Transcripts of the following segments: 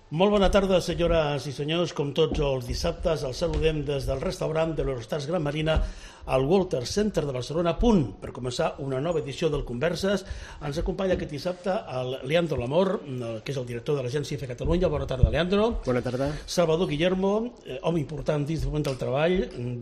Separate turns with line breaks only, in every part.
Molt bona tarda, senyores i senyors. Com tots els dissabtes, els saludem des del restaurant de l'Eurostars Gran Marina al Walter Center de Barcelona, a punt per començar una nova edició del Converses. Ens acompanya aquest dissabte el Leandro Lamor, que és el director de l'Agència IFE Catalunya. Bona tarda, Leandro.
Bona tarda.
Salvador Guillermo, home important dins del món del treball,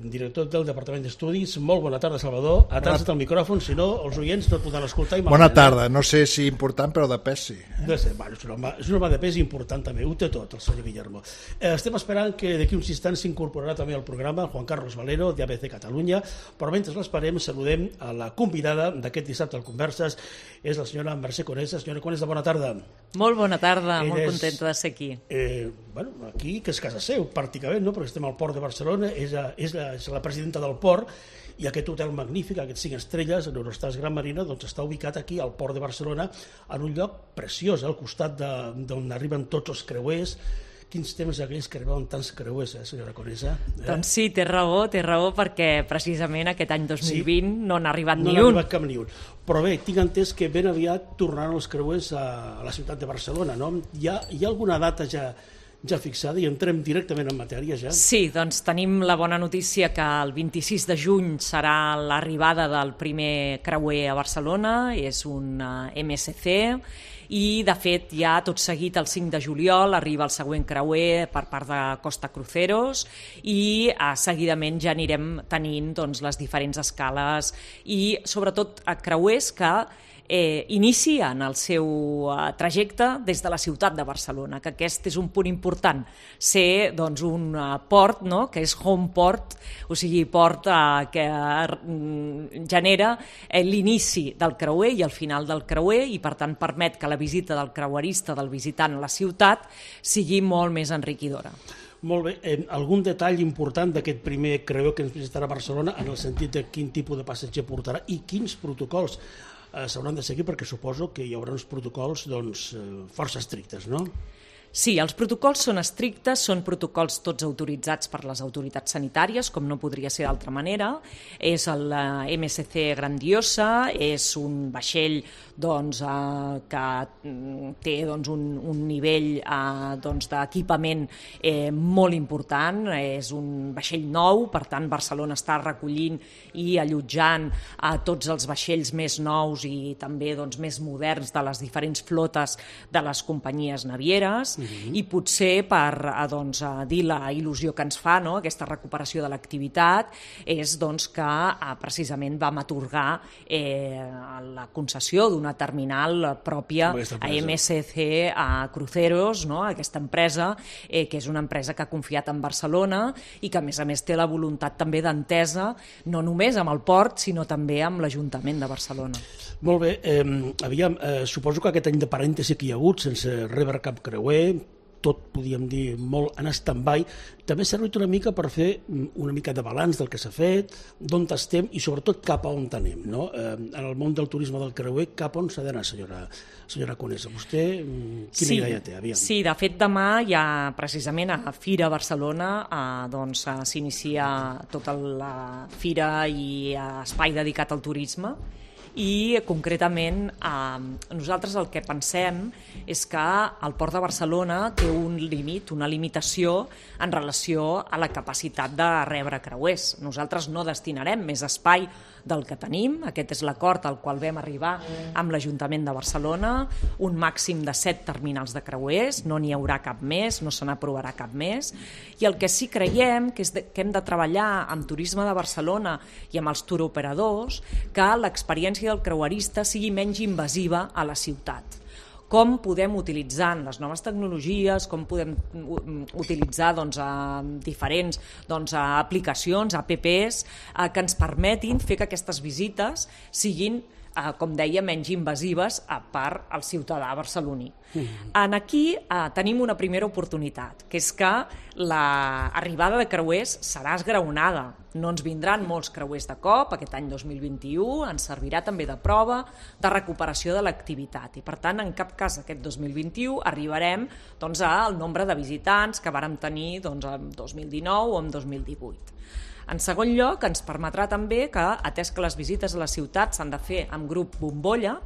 director del Departament d'Estudis. Molt bona tarda, Salvador. Atasa't el micròfon, si no, els oients no et podran escoltar.
Bona tarda. No sé si important, però de pes sí.
És un home de pes important també, ho té tot, el senyor Guillermo. Estem esperant que d'aquí uns instants s'incorporarà també al programa Juan Carlos Valero, d'ABC Catalunya, però mentre l'esperem saludem a la convidada d'aquest dissabte al Converses, és la senyora Mercè Conesa. Senyora Conesa, bona tarda.
Molt bona tarda, molt contenta de ser aquí.
Aquí, que és casa seu, pràcticament, no? Perquè estem al Port de Barcelona, és la presidenta del Port, i aquest hotel magnífic, aquests 5 estrelles, l'Eurostars Gran Marina, doncs està ubicat aquí al Port de Barcelona, en un lloc preciós, al costat d'on arriben tots els creuers. Quins temps aquells que arribaven tants creuers, senyora Conesa?
Doncs sí, té raó, perquè precisament aquest any 2020 no n'ha arribat ni un.
No n'ha arribat cap ni un. Però bé, tinc entès que ben aviat tornaran els creuers a la ciutat de Barcelona, no? Hi ha alguna data ja fixada i entrem directament en matèria ja?
Sí, doncs tenim la bona notícia que el 26 de juny serà l'arribada del primer creuer a Barcelona, és un MSC, i de fet ja tot seguit el 5 de juliol arriba el següent creuer per part de Costa Cruceros i seguidament ja anirem tenint doncs, les diferents escales i sobretot creuers que inicien el seu trajecte des de la ciutat de Barcelona, que aquest és un punt important, ser doncs, un port, no? Que és home port, o sigui, port que genera l'inici del creuer i el final del creuer i per tant permet que la visita del creuerista, del visitant a la ciutat, sigui molt més enriquidora.
Molt bé. Algun detall important d'aquest primer creuer que ens visitarà a Barcelona en el sentit de quin tipus de passatger portarà i quins protocols s'hauran de seguir, perquè suposo que hi haurà uns protocols força estrictes, no?
Sí, els protocols són estrictes, són protocols tots autoritzats per les autoritats sanitàries, com no podria ser d'altra manera. És el MSC Grandiosa, és un vaixell que té un nivell d'equipament molt important, és un vaixell nou, per tant Barcelona està recollint i allotjant a tots els vaixells més nous i també més moderns de les diferents flotes de les companyies navieres. I potser per dir la il·lusió que ens fa, no? Aquesta recuperació de l'activitat, és que precisament vam atorgar la concessió d'una terminal pròpia a MSC Cruceros, no? Aquesta empresa, que és una empresa que ha confiat en Barcelona i que a més té la voluntat també d'entesa, no només amb el port, sinó també amb l'Ajuntament de Barcelona.
Molt bé, suposo que aquest any de parèntesi que hi ha hagut, sense rebre cap creuer, tot, podríem dir, molt en stand-by, també ha servit una mica per fer una mica de balanç del que s'ha fet, d'on estem i sobretot cap a on anem, no? En el món del turisme del creuer, cap on s'ha d'anar, senyora Conesa? Vostè quina idea té? Aviam.
Sí, de fet demà ja precisament a Fira Barcelona s'inicia tota la fira i espai dedicat al turisme. I concretament nosaltres el que pensem és que el Port de Barcelona té un límit, una limitació en relació a la capacitat de rebre creuers. Nosaltres no destinarem més espai del que tenim, aquest és l'acord al qual vam arribar amb l'Ajuntament de Barcelona, un màxim de 7 terminals de creuers, no n'hi haurà cap més, no se n'aprovarà cap més, i el que sí creiem que hem de treballar amb Turisme de Barcelona i amb els touroperadors, que l'experiència del creuerista sigui menys invasiva a la ciutat. Com podem utilitzar les noves tecnologies, com podem utilitzar diferents aplicacions, apps, que ens permetin fer que aquestes visites siguin, com deia, menys invasives per al ciutadà barceloní. Aquí tenim una primera oportunitat, que és que l'arribada de creuers serà esgraonada. No ens vindran molts creuers de cop, aquest any 2021 ens servirà també de prova de recuperació de l'activitat i per tant en cap cas aquest 2021 arribarem al nombre de visitants que vàrem tenir en 2019 o en 2018. En segon lloc, ens permetrà també que, atès que les visites a la ciutat s'han de fer amb grup bombolla,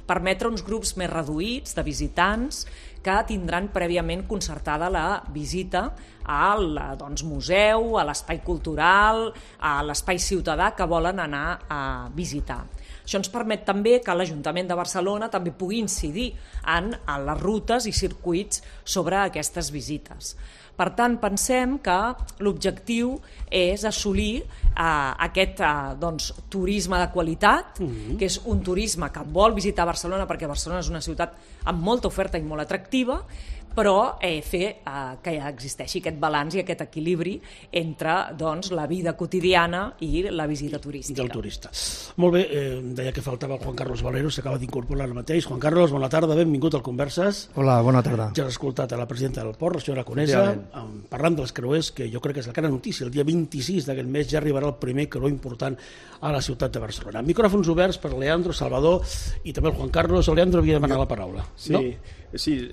permetre uns grups més reduïts de visitants que tindran prèviament concertada la visita al museu, a l'espai cultural, a l'espai ciutadà que volen anar a visitar. Això ens permet també que l'Ajuntament de Barcelona també pugui incidir en les rutes i circuits sobre aquestes visites. Per tant, pensem que l'objectiu és assolir aquest turisme de qualitat, que és un turisme que vol visitar Barcelona perquè Barcelona és una ciutat amb molta oferta i molt atractiva, però fer que existeixi aquest balanç i aquest equilibri entre la vida quotidiana i la visita turística.
Del turista. Molt bé, deia que faltava el Juan Carlos Valero, s'acaba d'incorporar ara mateix. Juan Carlos, bona tarda, benvingut al Converses.
Hola, bona tarda.
Ja has escoltat a la presidenta del Port, la senyora Conesa, parlant dels creuers, que jo crec que és la cara notícia. El dia 26 d'aquest mes ja arribarà el primer creuer important a la ciutat de Barcelona. Micròfons oberts per Leandro, Salvador i també el Juan Carlos. El Leandro havia demanat la paraula.
Sí, no? Sí,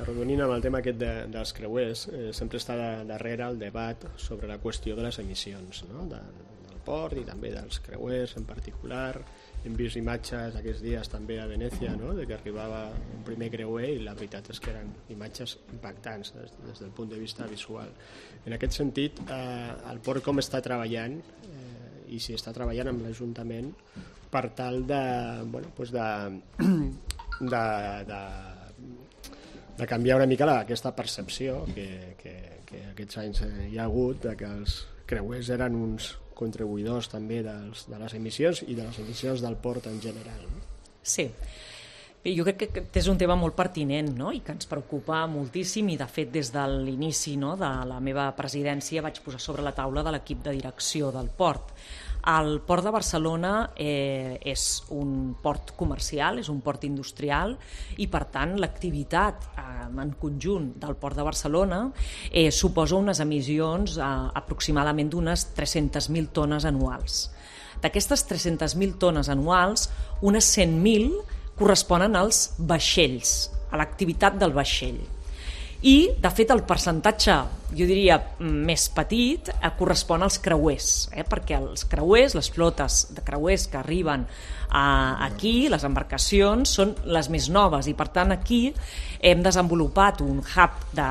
arrodonint amb el tema aquest dels creuers, sempre està darrere el debat sobre la qüestió de les emissions, no? Del port i també dels creuers en particular. Hem vist imatges aquests dies també a Venècia, no? De que arribava un primer creuer i la veritat és que eren imatges impactants des del punt de vista visual. En aquest sentit, el port com està treballant i si està treballant amb l'Ajuntament per tal de canviar una mica aquesta percepció que aquests anys hi ha hagut de que els creuers eren uns contribuïdors també de les emissions i de les emissions del port en general.
Sí, jo crec que és un tema molt pertinent, no? I que ens preocupa moltíssim i de fet des de l'inici, no, de la meva presidència vaig posar sobre la taula de l'equip de direcció del port. El port de Barcelona és un port comercial, és un port industrial i per tant l'activitat en conjunt del port de Barcelona suposa unes emissions aproximadament d'unes 300.000 tones anuals. D'aquestes 300.000 tones anuals, unes 100.000 corresponen als vaixells, a l'activitat del vaixell. I, de fet, el percentatge, jo diria, més petit, correspon als creuers, perquè els creuers, les flotes de creuers que arriben aquí, les embarcacions, són les més noves i, per tant, aquí hem desenvolupat un hub de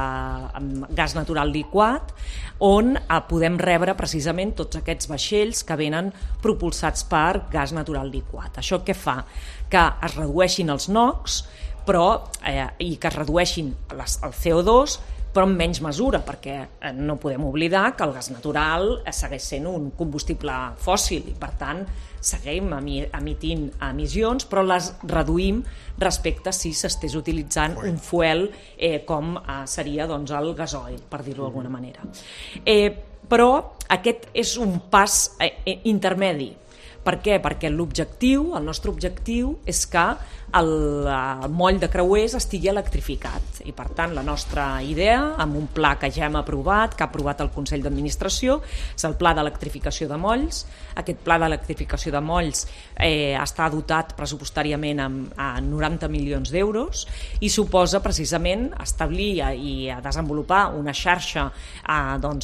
gas natural liquat on podem rebre precisament tots aquests vaixells que venen propulsats per gas natural liquat. Això què fa? Que es redueixin els NOx, i que es redueixin el CO2, però en menys mesura, perquè no podem oblidar que el gas natural segueix sent un combustible fòssil i, per tant, seguim emitint emissions, però les reduïm respecte si s'estés utilitzant un fuel com seria el gasoil, per dir-ho d'alguna manera. Però aquest és un pas intermedi. Per què? Perquè l'objectiu, el nostre objectiu, és que el moll de creuers estigui electrificat i per tant la nostra idea, amb un pla que ja hem aprovat, que ha aprovat el Consell d'Administració, és el pla d'electrificació de molls. Aquest pla d'electrificació de molls està dotat pressupostàriament amb 90 milions d'euros i suposa precisament establir i desenvolupar una xarxa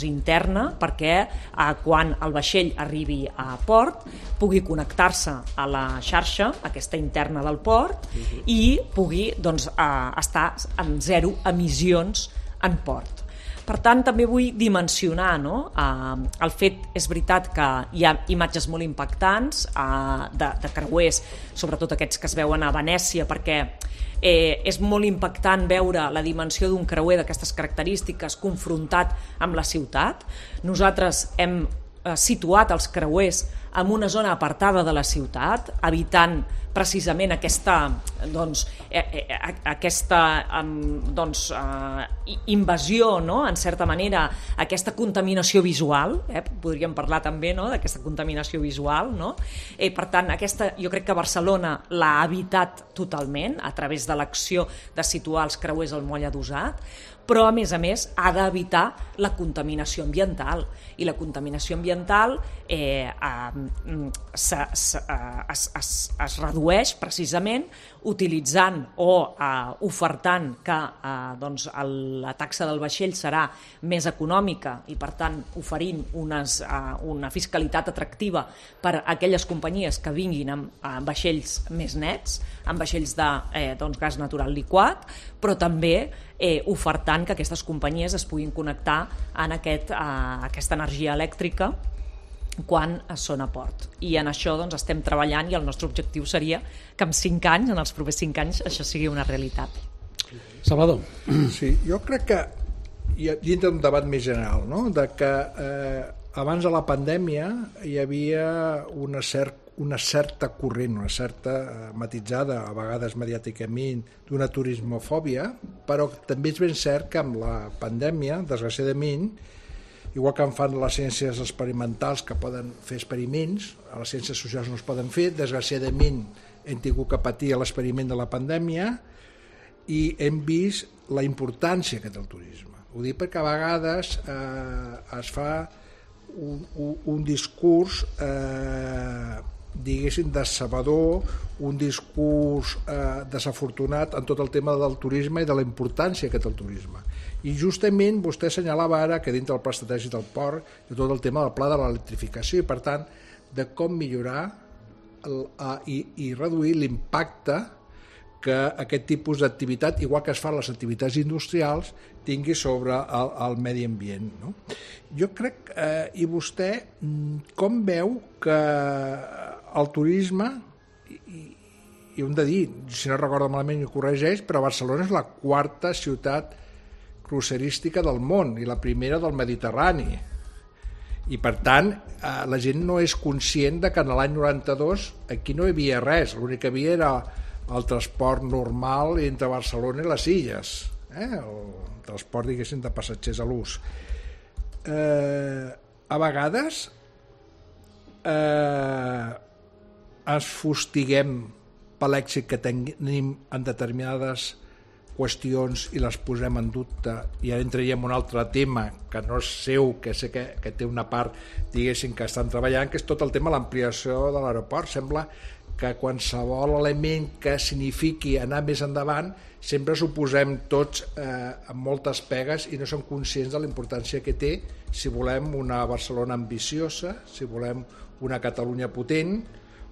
interna perquè quan el vaixell arribi a port pugui connectar-se a la xarxa, aquesta interna del port, i pugui estar en zero emissions en port. Per tant, també vull dimensionar, no? El fet, és veritat que hi ha imatges molt impactants de creuers, sobretot aquests que es veuen a Venècia, perquè és molt impactant veure la dimensió d'un creuer d'aquestes característiques confrontat amb la ciutat. Nosaltres hem situat els creuers en una zona apartada de la ciutat, evitant precisament aquesta invasió, no? En certa manera, aquesta contaminació visual, podríem parlar també, no? D'aquesta contaminació visual, no? Per tant, jo crec que Barcelona l'ha evitat totalment a través de l'acció de situar els creuers al moll adossat, però a més ha d'evitar la contaminació ambiental i la contaminació ambiental es redueix redueix precisament utilitzant o ofertant que la taxa del vaixell serà més econòmica i, per tant, oferint una fiscalitat atractiva per a aquelles companyies que vinguin amb vaixells més nets, amb vaixells de gas natural liquat, però també ofertant que aquestes companyies es puguin connectar en aquesta energia elèctrica quan són a port. I en això estem treballant i el nostre objectiu seria que en 5 anys, en els propers 5 anys, això sigui una realitat.
Salvador.
Sí, jo crec que dintre d'un debat més general, no? De que abans de la pandèmia hi havia una certa corrent, una certa matitzada, a vegades mediàticament, d'una turismofòbia, però també és ben cert que amb la pandèmia, desgraciadament, igual que en fan les ciències experimentals que poden fer experiments, a les ciències socials no es poden fer, desgraciadament hem tingut que patir l'experiment de la pandèmia i hem vist la importància que té el turisme. Ho dic perquè a vegades es fa un discurs diguéssim decebedor, un discurs desafortunat en tot el tema del turisme i de la importància que té el turisme. I justament vostè assenyalava ara que dintre del pla estratègic del port hi ha tot el tema del pla de l'electrificació i, per tant, de com millorar i reduir l'impacte que aquest tipus d'activitat, igual que es fan les activitats industrials, tingui sobre el medi ambient. No? Jo crec, i vostè, com veu que el turisme, i ho hem de dir, si no recordo malament i corregeix, però Barcelona és la 4ª ciutat crucerística del món i la primera del Mediterrani. I, per tant, la gent no és conscient de que en l'any 92 aquí no hi havia res, l'únic que havia era el transport normal entre Barcelona i les Illes, el transport, diguéssim, de passatgers a l'ús. A vegades ens fustiguem per l'èxit que tenim en determinades qüestions i les posem en dubte, i ara entraríem en un altre tema que no és seu, que sé que té una part, diguéssim, que estan treballant, que és tot el tema de l'ampliació de l'aeroport. Sembla que qualsevol element que signifiqui anar més endavant sempre s'ho posem tots amb moltes pegues i no som conscients de la importància que té si volem una Barcelona ambiciosa, si volem una Catalunya potent,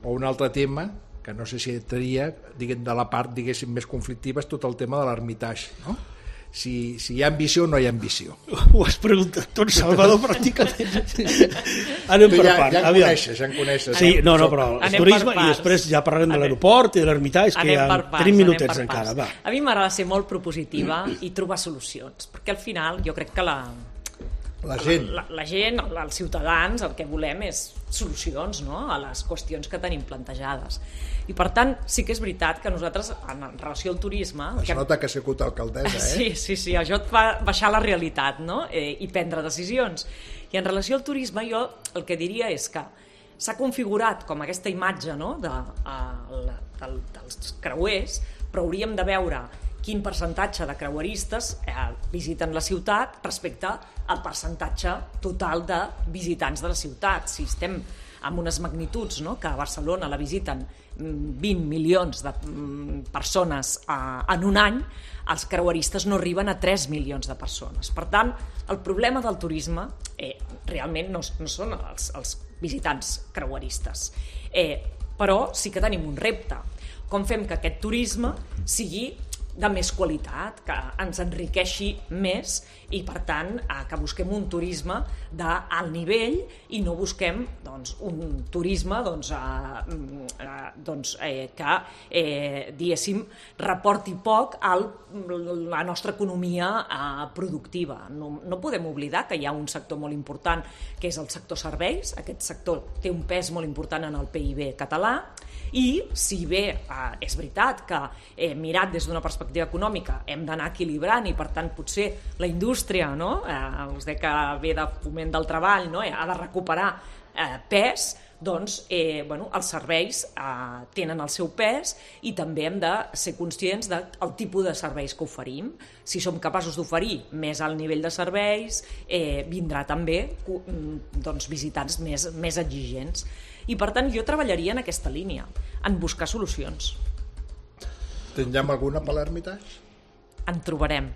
o un altre tema que no sé si entraria de la part, diguéssim, més conflictiva, és tot el tema de l'Ermitage, no? Si hi ha ambició o no hi ha ambició.
Ho has preguntat tot, Salvador, pràcticament. Anem per part.
Ja en coneixes.
Sí, no, però el turisme, i després ja parlarem de l'aeroport i de l'Ermitage, que ja tenim minutets encara. Va.
A mi m'agrada ser molt propositiva i trobar solucions, perquè al final jo crec que la gent, els ciutadans, el que volem és solucions, no?, a les qüestions que tenim plantejades. I, per tant, sí que és veritat que nosaltres, en relació al turisme...
Es nota que ha sigut alcaldessa,
Sí, això et fa baixar la realitat, no?, i prendre decisions. I en relació al turisme, jo el que diria és que s'ha configurat com aquesta imatge, no?, dels creuers, però hauríem de veure quin percentatge de creueristes visiten la ciutat respecte al percentatge total de visitants de la ciutat. Si estem amb unes magnituds, no?, que a Barcelona la visiten 20 milions de persones en un any, els creueristes no arriben a 3 milions de persones. Per tant, el problema del turisme realment no són els visitants creueristes, però sí que tenim un repte. Com fem que aquest turisme sigui de més qualitat, que ens enriqueixi més i, per tant, que busquem un turisme d'alt nivell i no busquem un turisme que, diguéssim, reporti poc a la nostra economia productiva. No podem oblidar que hi ha un sector molt important, que és el sector serveis. Aquest sector té un pes molt important en el PIB català, i si bé és veritat que mirat des d'una perspectiva econòmica hem d'anar equilibrant i, per tant, potser la indústria, no?, us deia que ve de foment del treball, no?, ha de recuperar pes, doncs els serveis tenen el seu pes i també hem de ser conscients del tipus de serveis que oferim. Si som capaços d'oferir més alt nivell de serveis, vindrà també visitants més exigents. I per tant jo treballaria en aquesta línia, en buscar solucions.
Tindrem alguna per l'Hermitage?
En trobarem.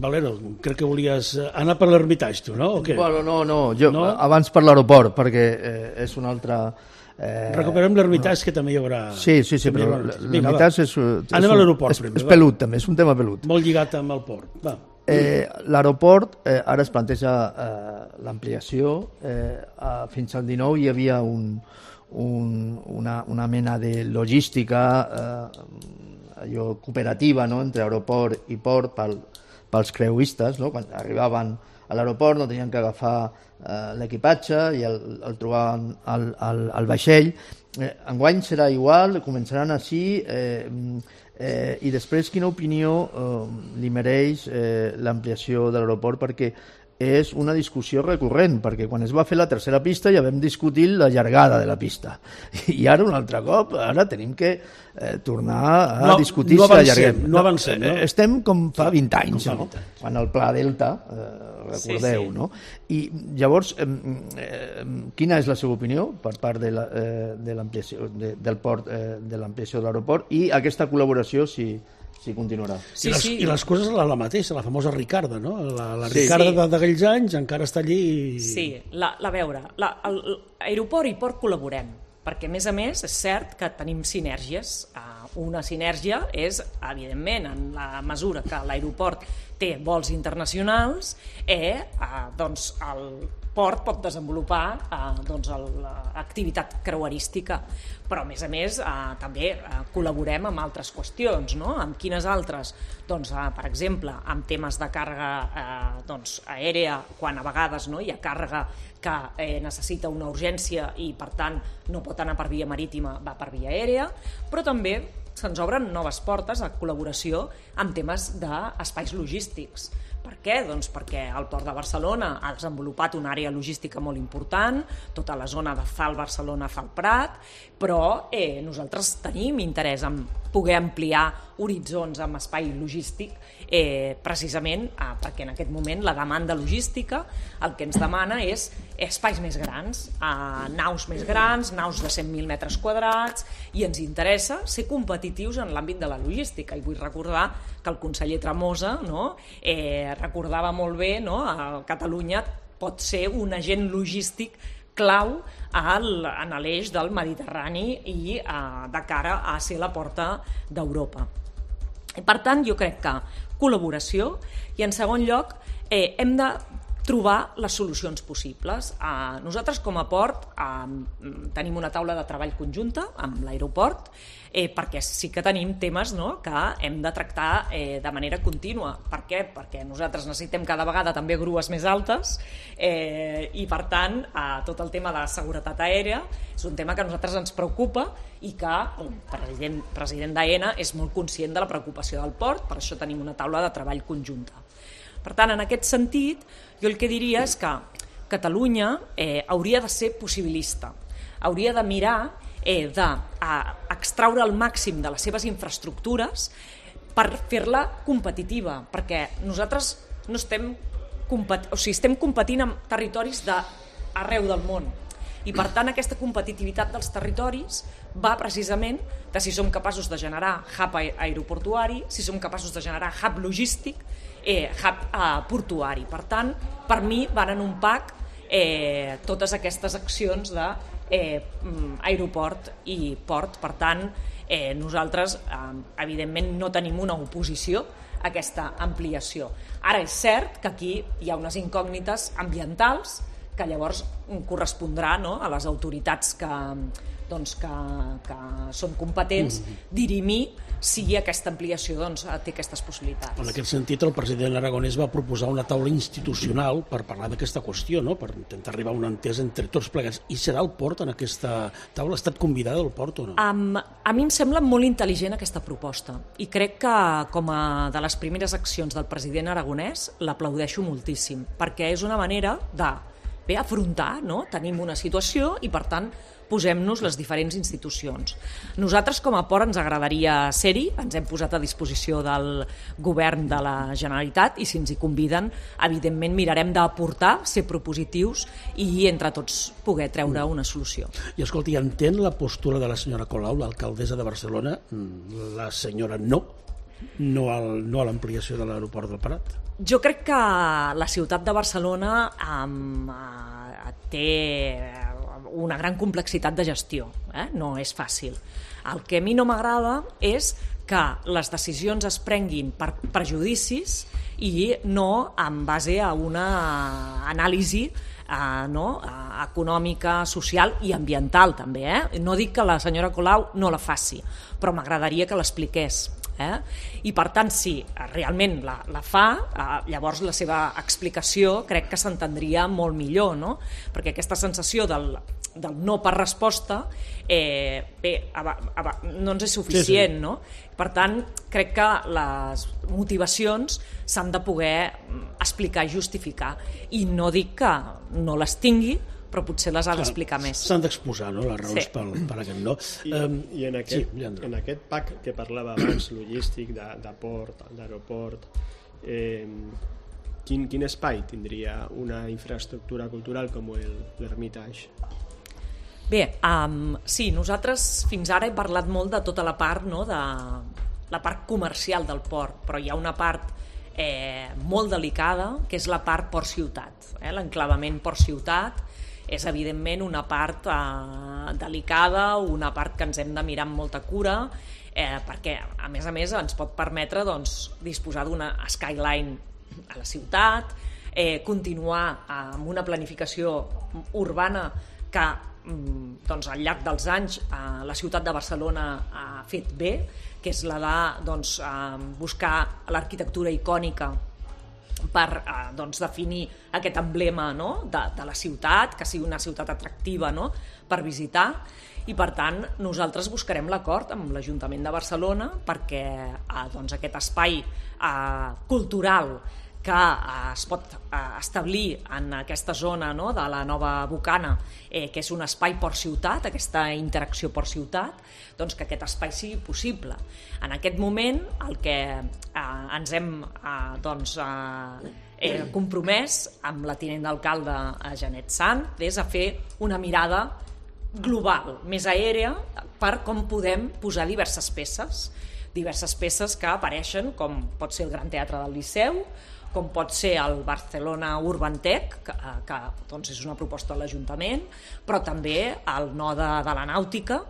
Valero, crec que volies anar per l'Hermitage, tu, no? O què?
Bueno, no, jo abans per l'aeroport, perquè és una altra...
Recuperem l'Hermitage, que també hi haurà...
Sí, però l'Hermitage
anem a l'aeroport primer.
És pelut, també, és un tema pelut.
Molt lligat amb el port. Va.
L'aeroport, ara es planteja l'ampliació. Fins al 19 hi havia una mena de logística cooperativa, no?, entre aeroport i port pels creuistes, no? Quan arribaven a l'aeroport no tenien que agafar l'equipatge i el trobaven al vaixell. Enguany serà igual, començaran així, i després quina opinió li mereix l'ampliació de l'aeroport, perquè és una discussió recurrent, perquè quan es va fer la tercera pista ja vam discutir la llargada de la pista, i ara un altre cop, ara tenim que tornar a discutir si la llarguem.
No avancem, no?
Estem com fa 20 anys, no? Quan el Pla Delta, recordeu, no? I llavors, quina és la seva opinió per part de l'ampliació del port, de l'ampliació de l'aeroport, i aquesta col·laboració si continuarà.
I les coses la mateixa, la famosa Ricarda, no? La Ricarda d'aquells anys encara està allí...
Sí, a veure, aeroport i port col·laborem, perquè a més és cert que tenim sinergies. Una sinergia és, evidentment, en la mesura que l'aeroport té vols internacionals, doncs el port pot desenvolupar l'activitat creuerística, però a més també col·laborem amb altres qüestions, no? Amb quines altres? Doncs, per exemple, amb temes de càrrega aèria, quan a vegades hi ha càrrega que necessita una urgència i per tant no pot anar per via marítima, va per via aèria, però també se'ns obren noves portes a col·laboració amb temes d'espais logístics. Per què? Doncs perquè el Port de Barcelona ha desenvolupat una àrea logística molt important, tota la zona de Zal Barcelona, Zal Prat, però nosaltres tenim interès en poder ampliar horitzons amb espai logístic, precisament perquè en aquest moment la demanda logística el que ens demana és espais més grans, naus més grans, naus de 100.000 metres quadrats, i ens interessa ser competitius en l'àmbit de la logística. I vull recordar que el conseller Tremosa recordava molt bé, Catalunya pot ser un agent logístic clau en l'eix del Mediterrani i de cara a ser la porta d'Europa. Per tant, jo crec que col·laboració, i en segon lloc hem de trobar les solucions possibles. Nosaltres com a port tenim una taula de treball conjunta amb l'aeroport, perquè sí que tenim temes que hem de tractar de manera contínua. Per què? Perquè nosaltres necessitem cada vegada també grues més altes, i per tant tot el tema de la seguretat aèria és un tema que a nosaltres ens preocupa i que el president d'AENA és molt conscient de la preocupació del port, per això tenim una taula de treball conjunta. Per tant, en aquest sentit, jo el que diria és que Catalunya hauria de ser possibilista, hauria de mirar d'extraure el màxim de les seves infraestructures per fer-la competitiva, perquè nosaltres no estem competint amb territoris d'arreu del món, i per tant aquesta competitivitat dels territoris va precisament de si som capaços de generar hub aeroportuari, si som capaços de generar hub logístic, hub portuari. Per tant, per mi van en un pack totes aquestes accions d'aeroport i port. Per tant, nosaltres evidentment no tenim una oposició a aquesta ampliació. Ara és cert que aquí hi ha unes incògnites ambientals que llavors correspondrà a les autoritats que són competents dirimir si aquesta ampliació té aquestes possibilitats.
En aquest sentit, el president aragonès va proposar una taula institucional per parlar d'aquesta qüestió, per intentar arribar a una entesa entre tots plegats. I serà el port en aquesta taula? Ha estat convidada el port o no?
A mi em sembla molt intel·ligent aquesta proposta, i crec que com a de les primeres accions del president aragonès l'aplaudeixo moltíssim, perquè és una manera de afrontar, tenim una situació i per tant posem-nos les diferents institucions. Nosaltres com a port ens agradaria ser-hi, ens hem posat a disposició del govern de la Generalitat i si ens hi conviden, evidentment mirarem d'aportar, ser propositius i entre tots poder treure una solució.
I escolti, entén la postura de la senyora Colau, l'alcaldessa de Barcelona, la senyora no a l'ampliació de l'aeroport del Prat?
Jo crec que la ciutat de Barcelona té una gran complexitat de gestió, no és fàcil. El que a mi no m'agrada és que les decisions es prenguin per prejudicis i no en base a una anàlisi econòmica, social i ambiental també. No dic que la senyora Colau no la faci, però m'agradaria que l'expliqués. I per tant, si realment la fa, llavors la seva explicació crec que s'entendria molt millor, no? Perquè aquesta sensació del no per resposta no ens és suficient, no? Per tant, crec que les motivacions s'han de poder explicar i justificar, i no dic que no les tingui, però potser les ha d'explicar més.
S'han d'exposar, no?, les raons per aquest no.
I en aquest pack que parlava abans, logístic, de port, d'aeroport, quin espai tindria una infraestructura cultural com l'Hermitage?
Bé, sí, nosaltres fins ara hem parlat molt de tota la part, no?, de la part comercial del port, però hi ha una part molt delicada, que és la part port-ciutat. L'enclavament port-ciutat és evidentment una part delicada, una part que ens hem de mirar amb molta cura, perquè a més ens pot permetre disposar d'una skyline a la ciutat, continuar amb una planificació urbana que al llarg dels anys la ciutat de Barcelona ha fet bé, que és la de buscar l'arquitectura icònica per definir aquest emblema, no?, de la ciutat, que sigui una ciutat atractiva, no?, per visitar, i per tant nosaltres buscarem l'acord amb l'Ajuntament de Barcelona perquè aquest espai cultural que es pot establir en aquesta zona, no?, de la nova Bocana, que és un espai port-ciutat, aquesta interacció port-ciutat, que aquest espai sigui possible. En aquest moment el que ens hem compromès amb la tinent d'alcalde Janet Sant és a fer una mirada global, més aèria, per com podem posar diverses peces que apareixen, com pot ser el Gran Teatre del Liceu, com pot ser el Barcelona Urban Tech, que és una proposta de l'Ajuntament, però també el node de la nàutica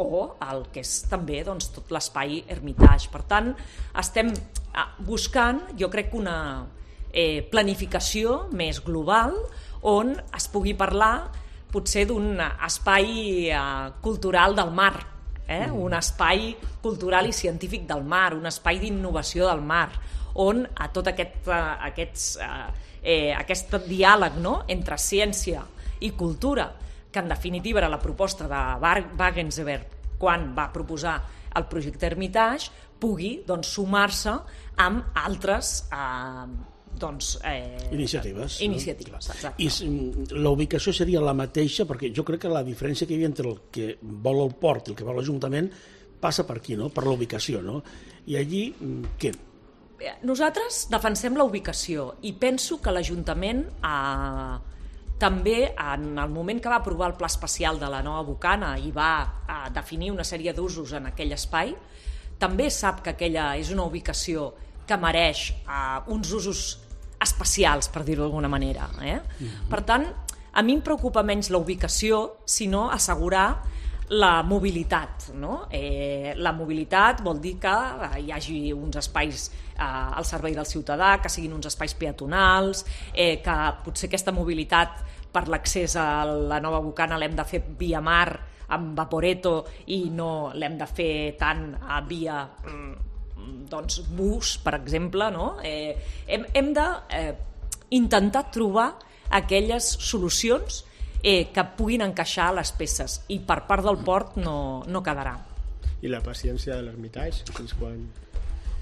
o el que és també tot l'espai Hermitage. Per tant, estem buscant, jo crec, una planificació més global on es pugui parlar potser d'un espai cultural del mar, un espai cultural i científic del mar, un espai d'innovació del mar, on a tot aquest diàleg, no?, entre ciència i cultura, que en definitiva era la proposta de Wagensberg quan va proposar el projecte Hermitage, pugui sumar-se amb altres
iniciatives.
Exacte.
I la ubicació seria la mateixa, perquè jo crec que la diferència que hi havia entre el que vol el port i el que vol l'Ajuntament passa per aquí, no?, per la ubicació, no? I allí, què?
Nosaltres defensem la ubicació i penso que l'Ajuntament també, en el moment que va aprovar el pla especial de la nova Bocana i va definir una sèrie d'usos en aquell espai, també sap que aquella és una ubicació que mereix uns usos especials, per dir-ho d'alguna manera. Per tant, a mi em preocupa menys la ubicació, sinó assegurar la mobilitat, no? La mobilitat vol dir que hi hagi uns espais al servei del ciutadà, que siguin uns espais peatonals, que potser aquesta mobilitat per l'accés a la nova Bocana l'hem de fer via mar amb Vaporetto i no l'hem de fer tant via bus, per exemple, no? Hem d'intentar trobar aquelles solucions que puguin encaixar les peces, i per part del port no quedarà.
I la paciència de l'Hermitage, fins quan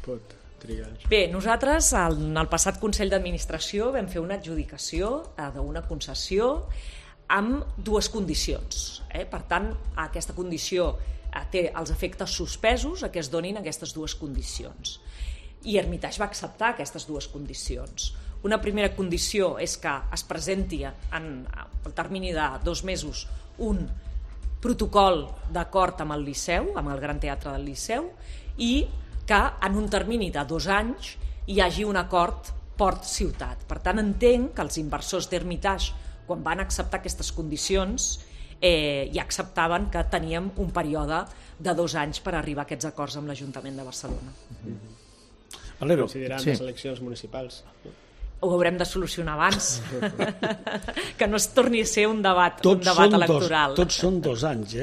pot trigar?
Bé, nosaltres en el passat Consell d'Administració vam fer una adjudicació d'una concessió amb dues condicions. Per tant, aquesta condició té els efectes suspesos a què es donin aquestes dues condicions. I Hermitage va acceptar aquestes dues condicions. Una primera condició és que es presenti en el termini de 2 mesos un protocol d'acord amb el Liceu, amb el Gran Teatre del Liceu, i que en un termini de 2 anys hi hagi un acord port-ciutat. Per tant, entenc que els inversors d'Hermitage, quan van acceptar aquestes condicions, ja acceptaven que teníem un període de 2 anys per arribar a aquests acords amb l'Ajuntament de Barcelona.
Valero.
Considerant les eleccions municipals.
Ho haurem de solucionar abans, que no es torni a ser un debat electoral.
Tots són 2 anys,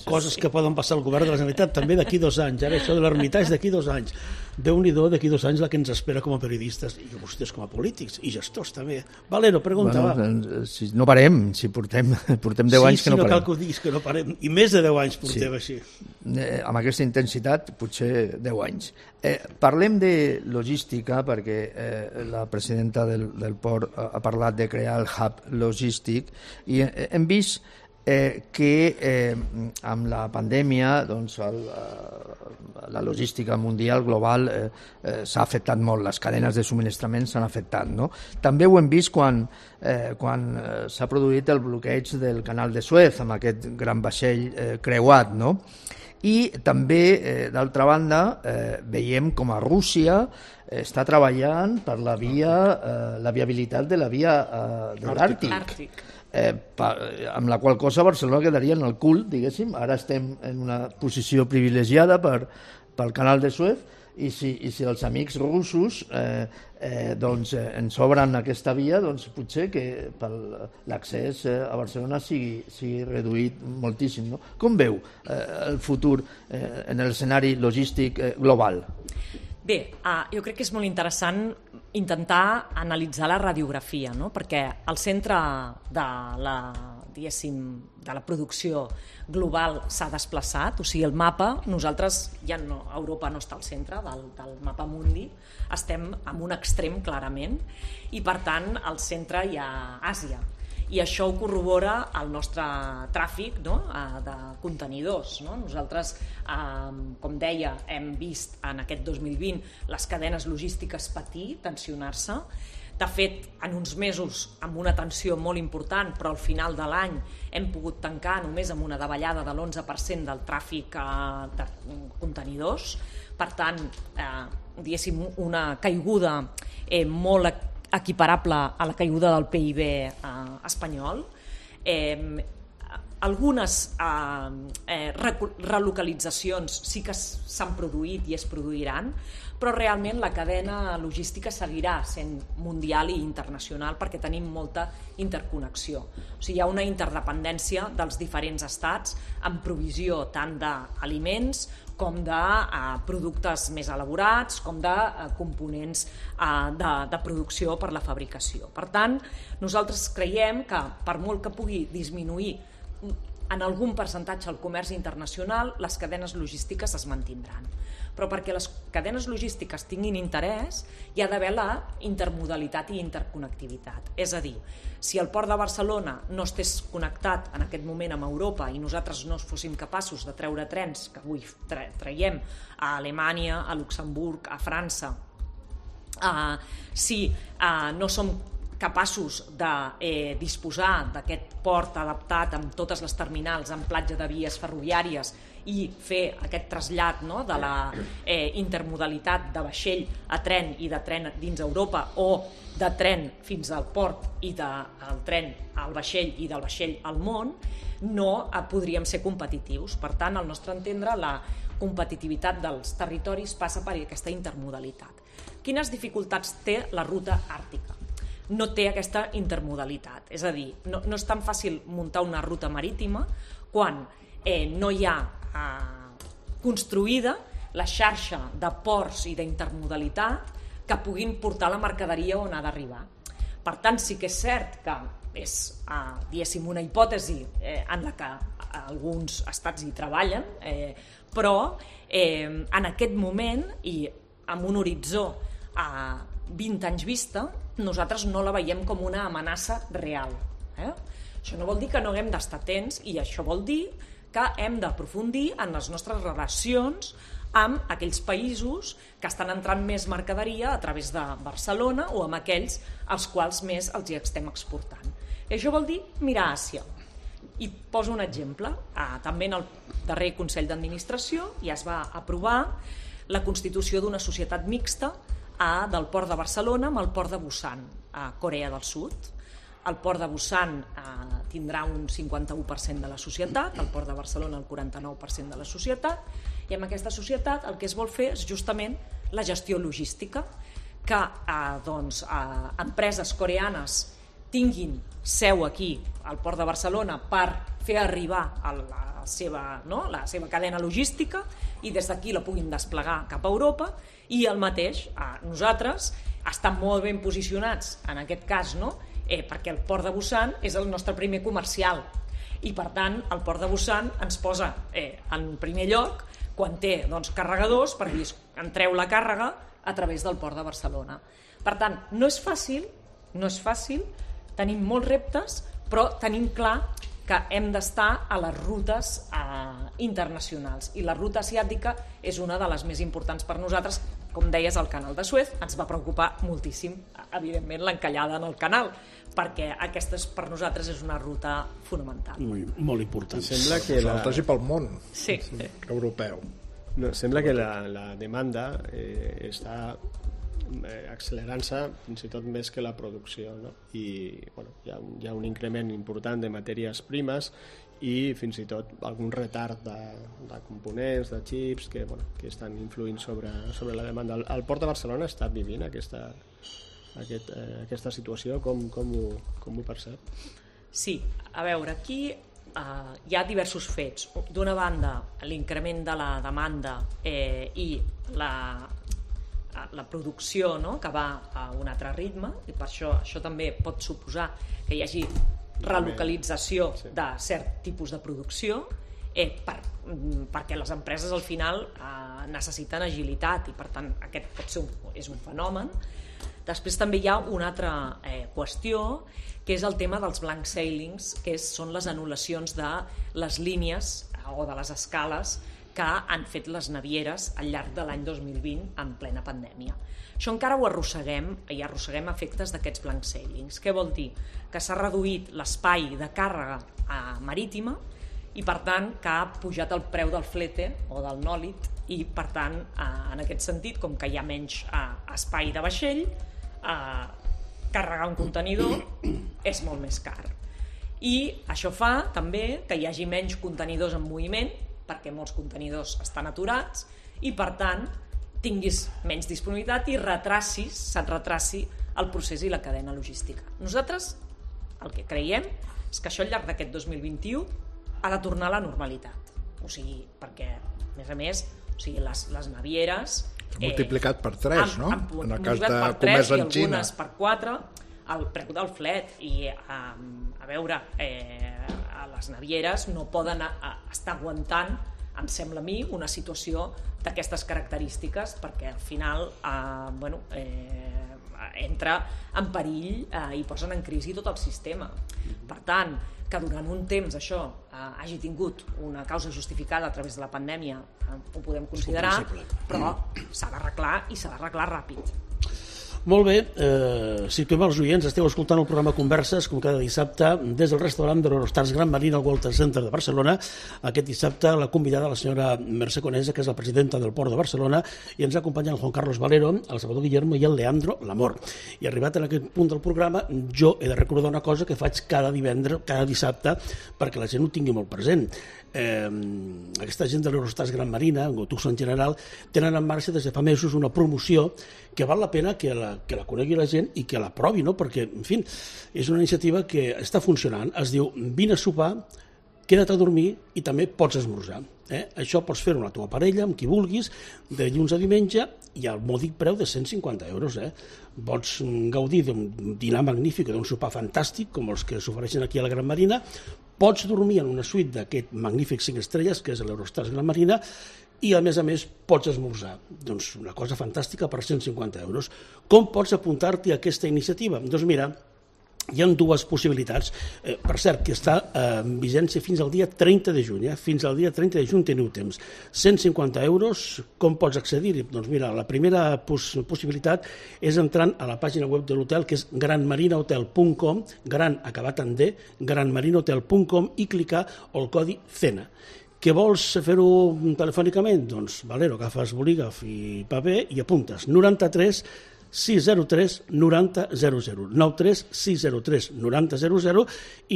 coses que poden passar al govern de la Generalitat també d'aquí 2 anys, ara això de l'Hermitage d'aquí 2 anys. Déu-n'hi-do, d'aquí 2 anys la que ens espera com a periodistes i vostès com a polítics i gestors també. Valero, pregunta, va.
Si no parem, si portem 10 anys que no parem. Sí,
no cal que ho diguis, que no parem, i més de 10 anys portem així.
Amb aquesta intensitat, potser 10 anys. Parlem de logística, perquè la presidenta del port ha parlat de crear el hub logístic, i hem vist que amb la pandèmia doncs, la logística mundial global s'ha afectat molt, les cadenes de subministrament s'han afectat. No? També ho hem vist quan s'ha produït el bloqueig del canal de Suez amb aquest gran vaixell creuat. No? I també, d'altra banda, veiem com a Rússia està treballant per la viabilitat de la via de l'Àrtic. Amb la qual cosa Barcelona quedaria en el cul, diguéssim. Ara estem en una posició privilegiada pel canal de Suez, i si els amics russos ens obren aquesta via, doncs potser que l'accés a Barcelona sigui reduït moltíssim. No? Com veu el futur en l'escenari logístic global?
Bé, jo crec que és molt interessant intentar analitzar la radiografia, no? Perquè al centre de la producció global s'ha desplaçat, o sigui, el mapa, nosaltres Europa no està al centre del mapa mundi, estem en un extrem clarament, i per tant al centre hi ha Àsia. I això ho corrobora el nostre tràfic, no? De contenidors. No? Nosaltres, com deia, hem vist en aquest 2020 les cadenes logístiques patir, tensionar-se. De fet, en uns mesos amb una tensió molt important, però al final de l'any hem pogut tancar només amb una davallada de l'11% del tràfic de contenidors. Per tant, diguéssim, una caiguda molt equiparable a la caiguda del PIB espanyol. Algunes relocalitzacions sí que s'han produït i es produiran, però realment la cadena logística seguirà sent mundial i internacional perquè tenim molta interconnexió. O sigui, hi ha una interdependència dels diferents estats en provisió tant d'aliments com de productes més elaborats, com de components de producció per la fabricació. Per tant, nosaltres creiem que per molt que pugui disminuir en algun percentatge el comerç internacional, les cadenes logístiques es mantindran. Però perquè les cadenes logístiques tinguin interès, hi ha d'haver la intermodalitat i interconnectivitat. És a dir, si el port de Barcelona no estés connectat en aquest moment amb Europa i nosaltres no fóssim capaços de treure trens, que avui traiem a Alemanya, a Luxemburg, a França, si no som capaços de disposar d'aquest port adaptat amb totes les terminals en platja de vies ferroviàries i fer aquest trasllat, no, de la intermodalitat de vaixell a tren i de tren dins Europa o de tren fins al port i del tren al vaixell i del vaixell al món, no podríem ser competitius. Per tant, al nostre entendre, la competitivitat dels territoris passa per aquesta intermodalitat. Quines dificultats té la ruta àrtica? No té aquesta intermodalitat, és a dir, no és tan fàcil muntar una ruta marítima quan no hi ha construïda la xarxa de ports i d'intermodalitat que puguin portar la mercaderia on ha d'arribar. Per tant, sí que és cert que és, diguéssim, una hipòtesi en la que alguns estats hi treballen, però en aquest moment i amb un horitzó a 20 anys vista, nosaltres no la veiem com una amenaça real. Això no vol dir que no haguem d'estar atents, i això vol dir que hem d'aprofundir en les nostres relacions amb aquells països que estan entrant més mercaderia a través de Barcelona o amb aquells als quals més els hi estem exportant. I això vol dir mirar a Àsia. I poso un exemple. També en el darrer Consell d'Administració ja es va aprovar la constitució d'una societat mixta del Port de Barcelona amb el Port de Busan, a Corea del Sud. El Port de Busan tindrà un 51% de la societat, el Port de Barcelona el 49% de la societat, i amb aquesta societat el que es vol fer és justament la gestió logística, que empreses coreanes tinguin seu aquí al Port de Barcelona per fer arribar la seva cadena logística i des d'aquí la puguin desplegar cap a Europa, i el mateix nosaltres estem molt ben posicionats en aquest cas, perquè el Port de Busan és el nostre primer comercial i per tant el Port de Busan ens posa en primer lloc quan té carregadors per dir entreu la càrrega a través del Port de Barcelona. Per tant, no és fàcil, tenim molts reptes, però tenim clar que hem d'estar a les rutes internacionals, i la ruta asiàtica és una de les més importants per nosaltres. Com deies, el canal de Suez ens va preocupar moltíssim, evidentment, l'encallada en el canal, perquè aquesta per nosaltres és una ruta fonamental.
Molt important.
Sembla que
nosaltres i pel món europeu.
No, sembla que la demanda està accelerant-se fins i tot més que la producció, no? I hi ha un increment important de matèries primes i fins i tot algun retard de components, de xips que estan influint sobre la demanda. El Port de Barcelona està vivint aquesta situació, com ho percep?
Sí, a veure, aquí hi ha diversos fets. D'una banda, l'increment de la demanda i la producció, que va a un altre ritme, i per això també pot suposar que hi hagi relocalització de cert tipus de producció, perquè les empreses al final necessiten agilitat, i per tant aquest és un fenomen. Després també hi ha una altra qüestió, que és el tema dels blank sailings, que són les anul·lacions de les línies o de les escales que han fet les navieres al llarg de l'any 2020 en plena pandèmia. Això encara ho arrosseguem, i arrosseguem efectes d'aquests blank sailings. Què vol dir? Que s'ha reduït l'espai de càrrega marítima i per tant que ha pujat el preu del flete o del nòlit, i per tant en aquest sentit, com que hi ha menys espai de vaixell, carregar un contenidor és molt més car. I això fa també que hi hagi menys contenidors en moviment, perquè molts contenidors estan aturats, i per tant tinguis menys disponibilitat i se't retraci el procés i la cadena logística. Nosaltres el que creiem és que això al llarg d'aquest 2021 ha de tornar a la normalitat. O sigui, perquè, a més, les navieres...
S'ha multiplicat per 3, no?
En el cas de comerç en Xina. I algunes per 4, el preu del flet. I, a veure, les navieres no poden estar aguantant, em sembla a mi, una situació d'aquestes característiques, perquè al final entra en perill i posen en crisi tot el sistema. Per tant, que durant un temps això hagi tingut una causa justificada a través de la pandèmia, ho podem considerar, però s'ha d'arreglar, i s'ha d'arreglar ràpid.
Molt bé, situem els oients, esteu escoltant el programa Converses, com cada dissabte, des del restaurant de l'Eurostars Gran Marina al Walter Center de Barcelona. Aquest dissabte la convidada, la senyora Mercè Conesa, que és la presidenta del Port de Barcelona, i ens acompanya el Juan Carlos Valero, el Salvador Guillermo i el Leandro Lamor. I arribat en aquest punt del programa, jo he de recordar una cosa que faig cada dissabte, perquè la gent ho tingui molt present. Aquesta gent de l'Eurostars Gran Marina, Gotuso en general, tenen en marxa des de fa mesos una promoció que val la pena que la conegui la gent i que la provi, no? Perquè, en fi, és una iniciativa que està funcionant. Es diu vine a sopar, queda't a dormir i també pots esmorzar. Això pots fer-ho amb la teva parella, amb qui vulguis, de dilluns a diumenge, i al mòdic preu de 150 euros. Pots gaudir d'un dinar magnífic, d'un sopar fantàstic, com els que s'ofereixen aquí a la Gran Marina, pots dormir en una suite d'aquest magnífic 5 estrelles, que és l'Eurostars Gran Marina, i a més pots esmorzar. Doncs una cosa fantàstica per 150 euros. Com pots apuntar-t'hi a aquesta iniciativa? Doncs mira, hi ha dues possibilitats. Per cert, que està en vigència fins al dia 30 de juny. Fins al dia 30 de juny teniu temps. 150 euros, com pots accedir-hi? Doncs mira, la primera possibilitat és entrant a la pàgina web de l'hotel, que és granmarinahotel.com, gran acabat en D, granmarinahotel.com, i clicar el codi CENA. Que vols fer-ho telefònicament? Doncs, Valero, agafes bolígraf i paper i apuntes 93 603 9000, 93 603 9000,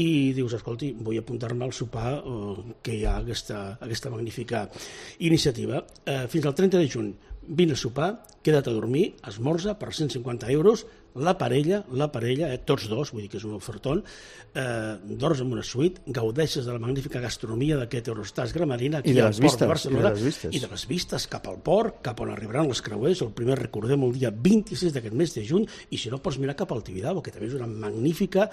i dius, escolti, vull apuntar-me al sopar que hi ha aquesta magnífica iniciativa. Fins al 30 de juny, vine a sopar, queda't a dormir, esmorza per 150 euros, la parella, tots dos, vull dir que és un ofertón, dors en una suite, gaudeixes de la magnífica gastronomia d'aquest Eurostars Gramarina aquí al port de Barcelona, i de les vistes cap al port, cap on arribaran els creuers, el primer, recordem, el dia 26 d'aquest mes de juny, i si no pots mirar cap al Tibidabo, que també és una magnífica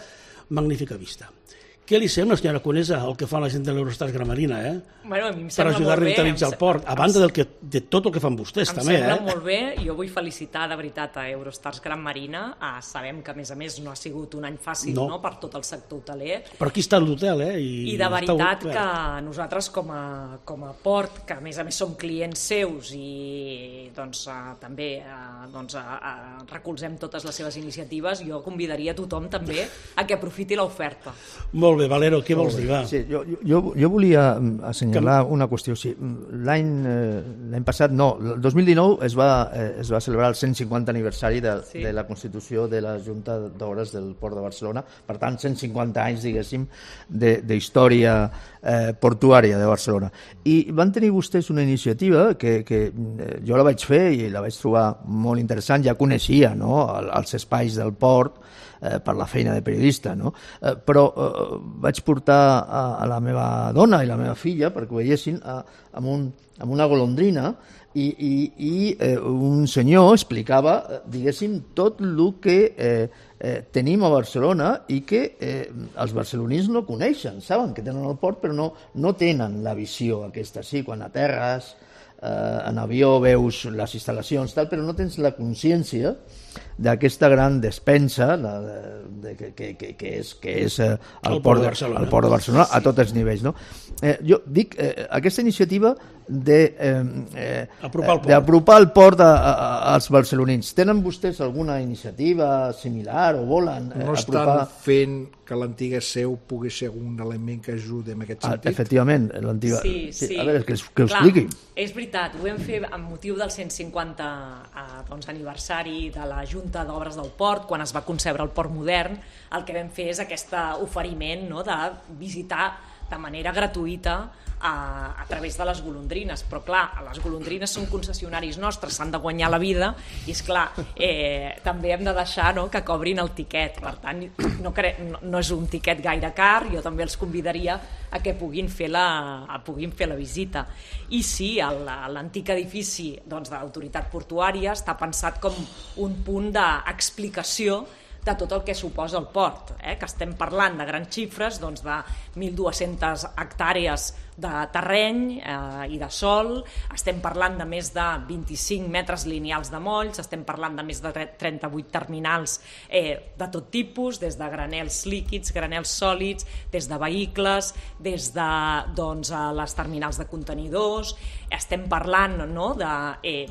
vista. Què li sembla, senyora Conesa, el que fa la gent de l'Eurostars Gramarina,
Bueno, a mi em
per
sembla
ajudar a
molt bé.
revitalitzar el port, a banda de tot el que fan vostès, també,
Em sembla molt bé, jo vull felicitar de veritat a Eurostars Gran Marina. Sabem que, a més, no ha sigut un any fàcil, no, per tot el sector hoteler.
Però aquí està l'hotel,
I de veritat que nosaltres com a port, que a més som clients seus i doncs, també recolzem totes les seves iniciatives, jo convidaria a tothom també a que aprofiti l'oferta.
Molt bé, Valero, què vols dir? Va.
Sí, jo volia assenyalar una qüestió. Sí, l'any passat, no, el 2019 es va celebrar el 150 aniversari de la Constitució de la Junta d'Obres del Port de Barcelona, per tant 150 anys, diguéssim, d'història portuària de Barcelona. I van tenir vostès una iniciativa que jo la vaig fer i la vaig trobar molt interessant, ja coneixia, no?, els espais del port per la feina de periodista, no? Però vaig portar a la meva dona i la meva filla perquè ho veiessin amb una golondrina i un senyor explicava, diguéssim, tot el que tenim a Barcelona i que els barcelonins no coneixen. Saben que tenen el port però no tenen la visió aquesta. Sí, quan aterres en avió veus les instal·lacions, però no tens la consciència d'aquesta gran despensa que és el port de Barcelona a tots els nivells, no? Jo dic, aquesta iniciativa d'apropar el port als barcelonins. Tenen vostès alguna iniciativa similar o volen apropar?
No estan fent que l'antiga seu pugui ser un element que ajudi en aquest sentit?
Efectivament, l'antiga...
Sí.
A veure, que ho expliqui.
És veritat, ho vam fer amb motiu del 150 aniversari de la Junta d'Obres del Port, quan es va concebre el port modern. El que vam fer és aquest oferiment, no?, de visitar de manera gratuïta a través de les golondrines, però clar, les golondrines són concessionaris nostres, s'han de guanyar la vida i és clar, també hem de deixar, no?, que cobrin el tiquet. Per tant, no és un tiquet gaire car, jo també els convidaria a que puguin fer la visita. I sí, l'antic edifici de l'autoritat portuària està pensat com un punt d'explicació de tot el que suposa el port, que estem parlant de grans xifres, de 1.200 hectàrees de terreny i de sòl, estem parlant de més de 25 metres lineals de molls, estem parlant de més de 38 terminals de tot tipus, des de granels líquids, granels sòlids, des de vehicles, des de les terminals de contenidors. Estem parlant, no?, de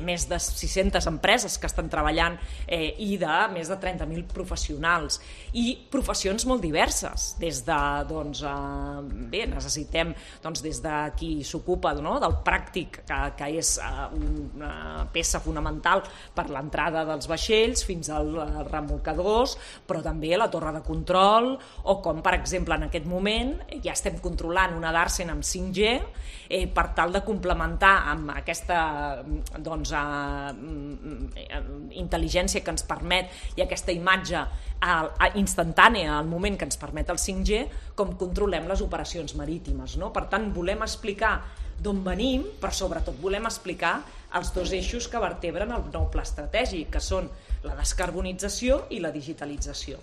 més de 600 empreses que estan treballant i de més de 30.000 professionals i professions molt diverses, des de necessitem des de qui s'ocupa del pràctic, que és una peça fonamental per l'entrada dels vaixells, fins als remolcadors, però també la torre de control, o com per exemple en aquest moment ja estem controlant una Darsen amb 5G per tal de complementar amb aquesta intel·ligència que ens permet i aquesta imatge instantània al moment que ens permet el 5G, com controlem les operacions marítimes, no? Per tant, volem explicar d'on venim, però sobretot volem explicar els dos eixos que vertebren el nou pla estratègic, que són la descarbonització i la digitalització.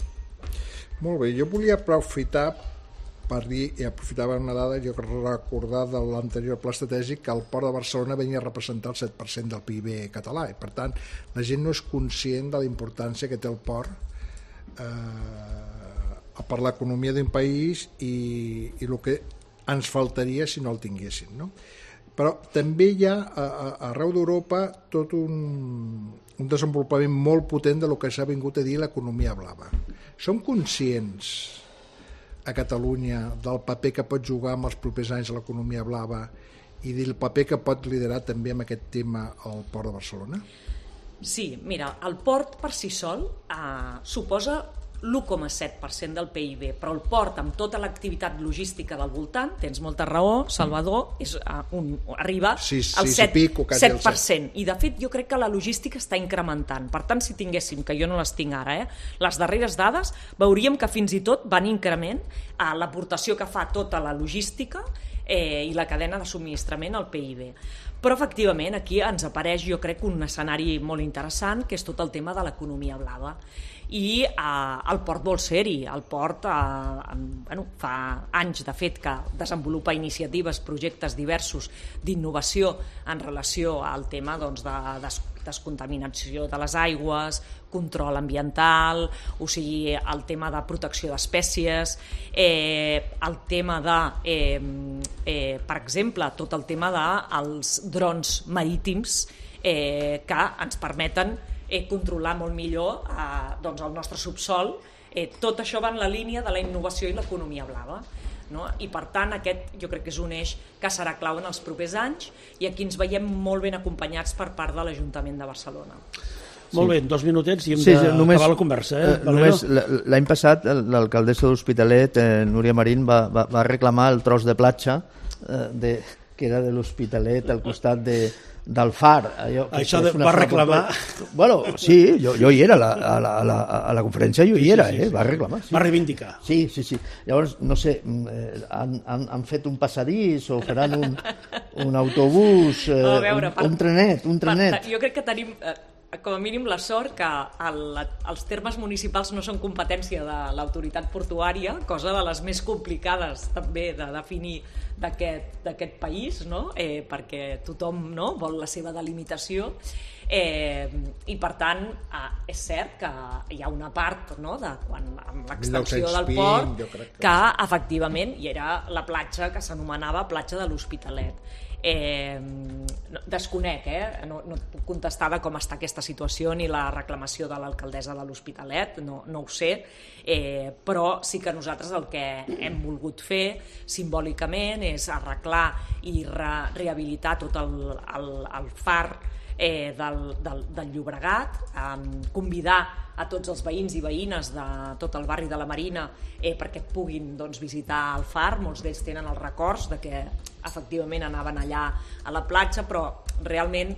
Molt bé, jo volia aprofitar per dir, i aprofitava una dada, jo recordar de l'anterior pla estratègic que el Port de Barcelona venia a representar el 7% del PIB català, i per tant la gent no és conscient de la importància que té el port per l'economia d'un país i el que ens faltaria si no el tinguessin, no? Però també hi ha arreu d'Europa tot un desenvolupament molt potent de lo que s'ha vingut a dir l'economia blava. Som conscients a Catalunya del paper que pot jugar en els propers anys l'economia blava i del paper que pot liderar també amb aquest tema el Port de Barcelona?
Sí, mira, el port per si sol suposa l'1,7% del PIB, però el port amb tota l'activitat logística del voltant, tens molta raó, Salvador, arriba al 7%. I de fet jo crec que la logística està incrementant. Per tant, si tinguéssim, que jo no les tinc ara, les darreres dades, veuríem que fins i tot van increment a l'aportació que fa tota la logística i la cadena de subministrament al PIB. Però efectivament aquí ens apareix jo crec un escenari molt interessant que és tot el tema de l'economia blava i el port vol ser-hi. El port fa anys de fet que desenvolupa iniciatives, projectes diversos d'innovació en relació al tema de descontaminació de les aigües, control ambiental, o sigui, el tema de protecció d'espècies, el tema de, per exemple, tot el tema dels drons marítims que ens permeten controlar molt millor el nostre subsol. Tot això va en la línia de la innovació i l'economia blava. No? I per tant aquest jo crec que és un eix que serà clau en els propers anys i aquí ens veiem molt ben acompanyats per part de l'Ajuntament de Barcelona.
Molt bé, 2 minutets i hem d'acabar la conversa.
Només l'any passat l'alcaldessa de l'Hospitalet, Núria Marín, va reclamar el tros de platja que era de l'Hospitalet al costat del far.
Això va reclamar?
Bueno, sí, jo hi era, a la conferència jo hi era, va reclamar.
Va reivindicar.
Sí. Llavors, no sé, han fet un passadís o faran un autobús, un trenet.
Jo crec que tenim com a mínim la sort que els termes municipals no són competència de l'autoritat portuària, cosa de les més complicades també de definir d'aquest país, no? Perquè tothom vol la seva delimitació i per tant és cert que hi ha una part amb l'extensió del port que efectivament hi era la platja que s'anomenava platja de l'Hospitalet. Desconec, no et puc contestar de com està aquesta situació ni la reclamació de l'alcaldessa de l'Hospitalet, no ho sé, però sí que nosaltres el que hem volgut fer simbòlicament és arreglar i rehabilitar tot el far del Llobregat, convidar a tots els veïns i veïnes de tot el barri de la Marina perquè puguin visitar el far. Molts d'ells tenen els records de que efectivament anaven allà a la platja, però realment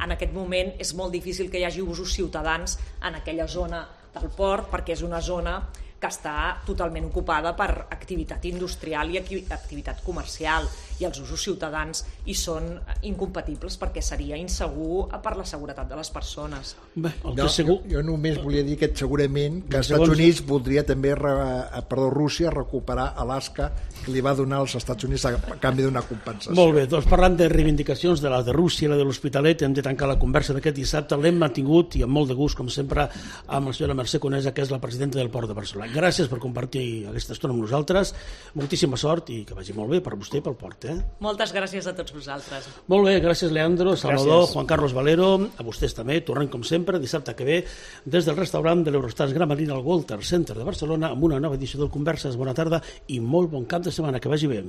en aquest moment és molt difícil que hi hagi usos ciutadans en aquella zona del port perquè és una zona que està totalment ocupada per activitat industrial i activitat comercial i els usos ciutadans hi són incompatibles perquè seria insegur per la seguretat de les persones.
Jo només volia dir que segurament que els Estats Units voldria també, Rússia, recuperar Alaska que li va donar als Estats Units a canvi d'una compensació.
Molt bé, doncs parlant de reivindicacions de la de Rússia i la de l'Hospitalet, hem de tancar la conversa d'aquest dissabte. L'hem mantingut i amb molt de gust, com sempre, amb la senyora Mercè Conesa, que és la presidenta del Port de Barcelona. Gràcies per compartir aquesta estona amb nosaltres. Moltíssima sort i que vagi molt bé per vostè i pel port.
Moltes gràcies a tots vosaltres.
Molt bé, gràcies Leandro, Salvador, Juan Carlos Valero, a vostès també. Tornem com sempre dissabte que ve des del restaurant de l'Eurostars Gran Marina al Walter Center de Barcelona amb una nova edició del Converses. Bona tarda i molt bon cap de setmana, que vagi bé.